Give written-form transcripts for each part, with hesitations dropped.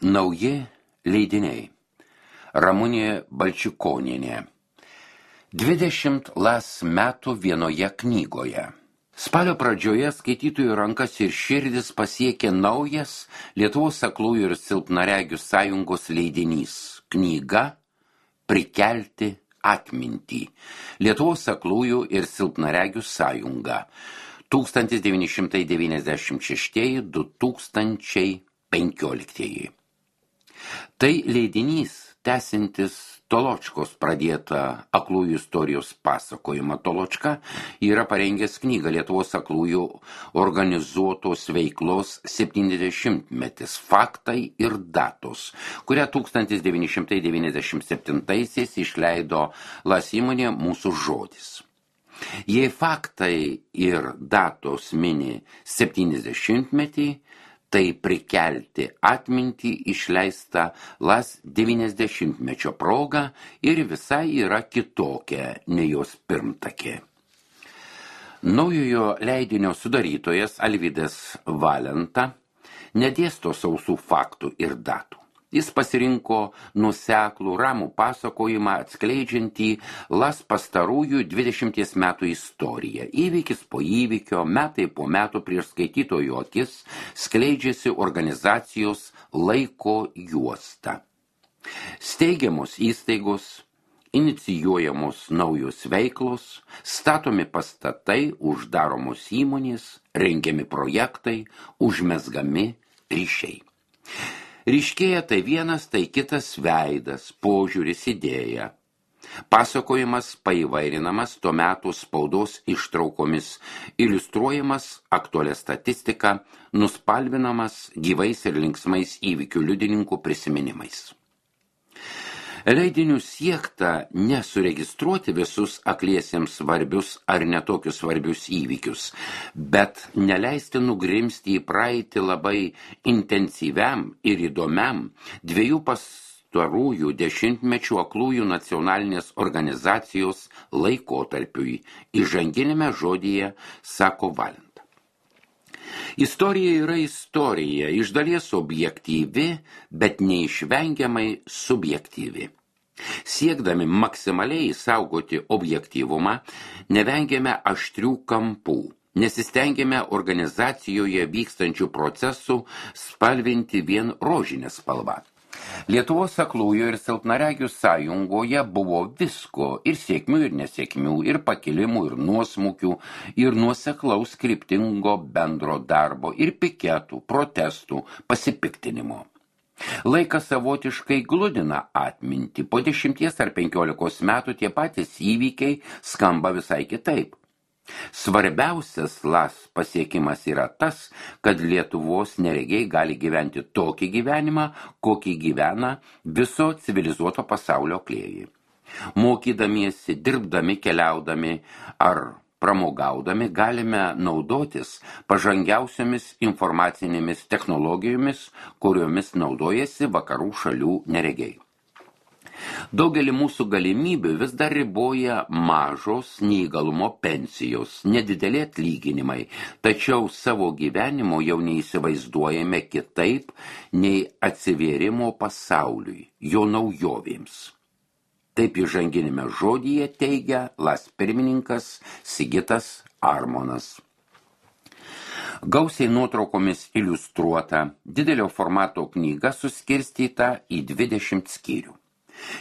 Nauji leidiniai. Ramunė Balčikonienė. 20 metų vienoje knygoje. Spalio pradžioje skaitytojų rankas ir širdis pasiekė naujas Lietuvos aklųjų ir silpnaregių sąjungos leidinys. Knyga Prikelti atmintį. Lietuvos aklųjų ir silpnaregių sąjunga. 1996–2015. Tai leidinys, tęsiantis Toločkos pradėtą aklųjų istorijos pasakojimą. Toločka yra parengęs knygą Lietuvos aklųjų organizuotos veiklos 70-metis faktai ir datos, kurią 1997-aisiais išleido LAS įmonė Mūsų žodis. Jei faktai ir datos mini 70-metį, tai Prikelti atmintį išleista LAS 90-mečio proga ir visai yra kitokia nei jos pirmtakė. Naujojo leidinio sudarytojas Alvydas Valenta nedėsto sausų faktų ir datų. Jis pasirinko nuoseklų ramų pasakojimą atskleidžiantį LAS pastarųjų 20 metų istoriją. Įvykis po įvykio, metai po metų prieš skaitytojų akis skleidžiasi organizacijos laiko juosta. Steigiamos įstaigos, inicijuojamos naujos veiklos, statomi pastatai, uždaromos įmonės, rengiami projektai, užmezgami ryšiai. Ryškėja tai vienas, tai kitas veidas, požiūris, idėja. Pasakojimas paįvairinamas tuo metu spaudos ištraukomis, iliustruojamas aktualią statistiką, nuspalvinamas gyvais ir linksmais įvykių liudininkų prisiminimais. Leidinių siekta nesuregistruoti visus akliesiems svarbius ar netokius svarbius įvykius, bet neleisti nugrimsti į praeitį labai intensyviam ir įdomiam 2 pastarųjų dešimtmečių aklųjų nacionalinės organizacijos laikotarpiui. Įžanginėme žodyje sako Valenta. Istorija yra istorija, iš dalies objektyvi, bet neišvengiamai subjektyvi. Siekdami maksimaliai saugoti objektyvumą, nevengiame aštrių kampų, nesistengėme organizacijoje vykstančių procesų spalvinti vien rožinę spalvą. Lietuvos aklųjų ir silpnaregių sąjungoje buvo visko, ir sėkmių, ir nesėkmių, ir pakilimų, ir nuosmukių, ir nuoseklaus kryptingo bendro darbo, ir piketų, protestų, pasipiktinimo. Laikas savotiškai gludina atmintį. Po 10 ar 15 metų tie patys įvykiai skamba visai kitaip. Svarbiausias LAS pasiekimas yra tas, kad Lietuvos neregiai gali gyventi tokį gyvenimą, kokį gyvena viso civilizuoto pasaulio aklieji. Mokydamiesi, dirbdami, keliaudami ar pramogaudami galime naudotis pažangiausiomis informacinėmis technologijomis, kuriomis naudojasi vakarų šalių neregiai. Daugelį mūsų galimybių vis dar riboja mažos neįgalumo pensijos, nedideli atlyginimai, tačiau savo gyvenimo jau neįsivaizduojame kitaip nei atsivėrimo pasauliui, jo naujovėms. Taip įžanginėme žodyje teigia LAS pirmininkas Sigitas Armonas. Gausiai nuotraukomis iliustruota, didelio formato knyga suskirstyta į 20 skyrių.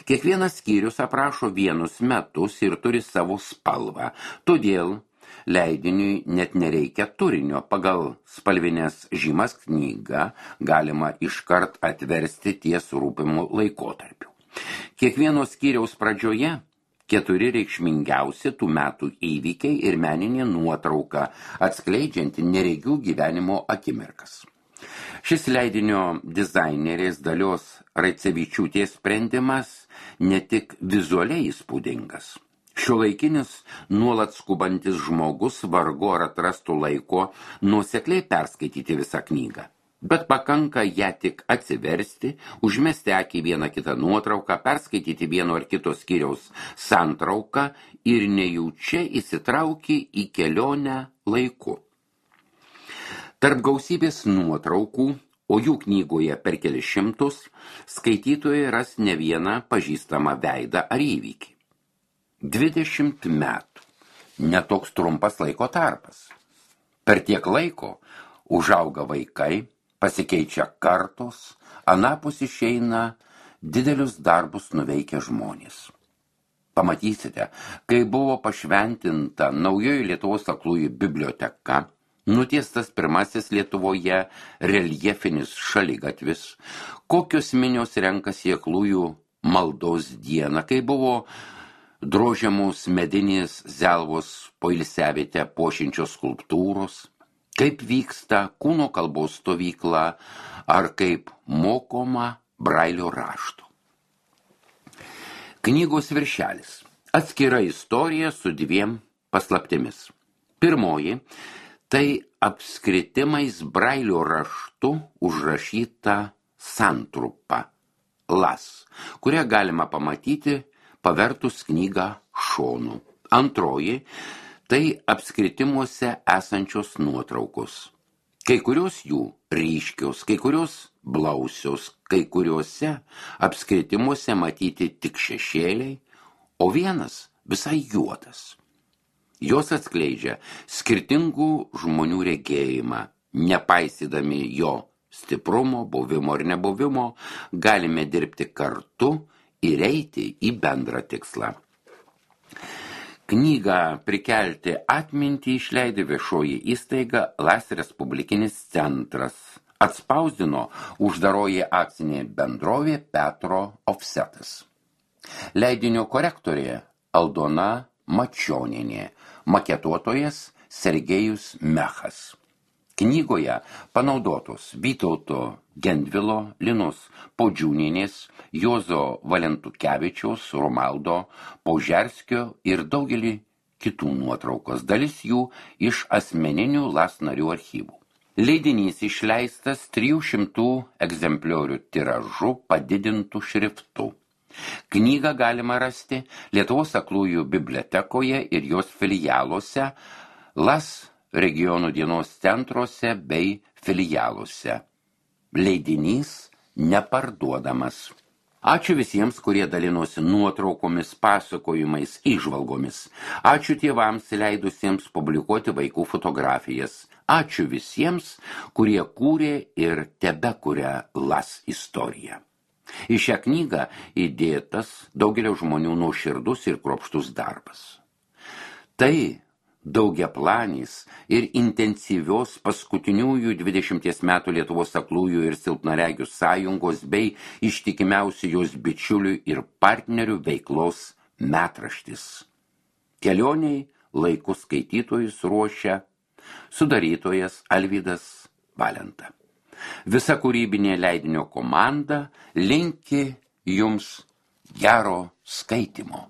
Kiekvienas skyrius aprašo vienus metus ir turi savo spalvą, todėl leidiniui net nereikia turinio. Pagal spalvinės žymas knygą galima iškart atversti ties rūpimu laikotarpiu. Kiekvieno skyriaus pradžioje 4 reikšmingiausi tų metų įvykiai ir meninė nuotrauka, atskleidžianti neregių gyvenimo akimirkas. Šis leidinio dizainerės Dalios Raicevičiūtės sprendimas ne tik vizualiai įspūdingas. Šiuolaikinis nuolat skubantis žmogus vargu ar atrastų laiko nuosekliai perskaityti visą knygą. Bet pakanka ją tik atsiversti, užmesti akį vieną kitą nuotrauką, perskaityti vieno ar kito skyriaus santrauką ir nejučia įsitrauki į kelionę laiku. Tarp gausybės nuotraukų o jų knygoje per kelis šimtus, skaitytojai ras ne vieną pažįstamą veidą ar įvykį. 20 metų. Netoks trumpas laiko tarpas. Per tiek laiko užauga vaikai, pasikeičia kartos, anapus išeina didelius darbus nuveikę žmonės. Pamatysite, kai buvo pašventinta naujoji Lietuvos aklųjų biblioteka, nutiestas pirmasis Lietuvoje reljefinis šaligatvis, kokios minios renkasi aklųjų maldos dieną, kai buvo drožiamos medinės zelvos poilsiavietę puošiančios skulptūros, kaip vyksta kūno kalbos stovykla ar kaip mokoma brailio rašto. Knygos viršelis. Atskira istorija su 2 paslaptimis. Pirmoji – tai apskritimais brailio raštu užrašyta santrupa las, kurią galima pamatyti pavertus knygą šonu. Antroji – tai apskritimuose esančios nuotraukos. Kai kurios jų ryškios, kai kurios blausios, kai kuriuose apskritimuose matyti tik šešėliai, o vienas visai juodas. Jos atskleidžia skirtingų žmonių regėjimą, nepaisydami jo stiprumo, buvimo ar nebuvimo, galime dirbti kartu ir eiti į bendrą tikslą. Knygą prikelti atmintį išleido viešoji įstaiga LAS Respublikinis centras. Atspausdino uždaroji akcinė bendrovė Petro Ofsetas. Leidinio korektorė Aldona Mačionienė, maketuotojas Sergejus Mechas. Knygoje panaudotos Vytauto Gendvilo, Linos Podžiūnienės, Juozo Valentukevičiaus, Romaldo Paužerskio ir daugelį kitų nuotraukos, dalis jų iš asmeninių LAS narių archyvų. Leidinys išleistas 300 egzempliorių tiražu padidintų šriftu. Knygą galima rasti Lietuvos aklųjų bibliotekoje ir jos filialuose, LAS regionų dienos centruose bei filialuose. Leidinys neparduodamas. Ačiū visiems, kurie dalinosi nuotraukomis, pasakojimais, įžvalgomis. Ačiū tėvams leidusiems publikuoti vaikų fotografijas. Ačiū visiems, kurie kūrė ir tebekuria LAS istoriją. Į šią knygą įdėtas daugelio žmonių nuoširdus ir kruopštus darbas. Tai daugiaplanis ir intensyvios paskutiniųjų 20 metų Lietuvos aklųjų ir silpnaregių sąjungos bei ištikimiausių jos bičiulių ir partnerių veiklos metraštis. Kelioniai laiku skaitytojus ruošia sudarytojas Alvydas Valenta. Visa kūrybinė leidinio komanda linki jums gero skaitymo.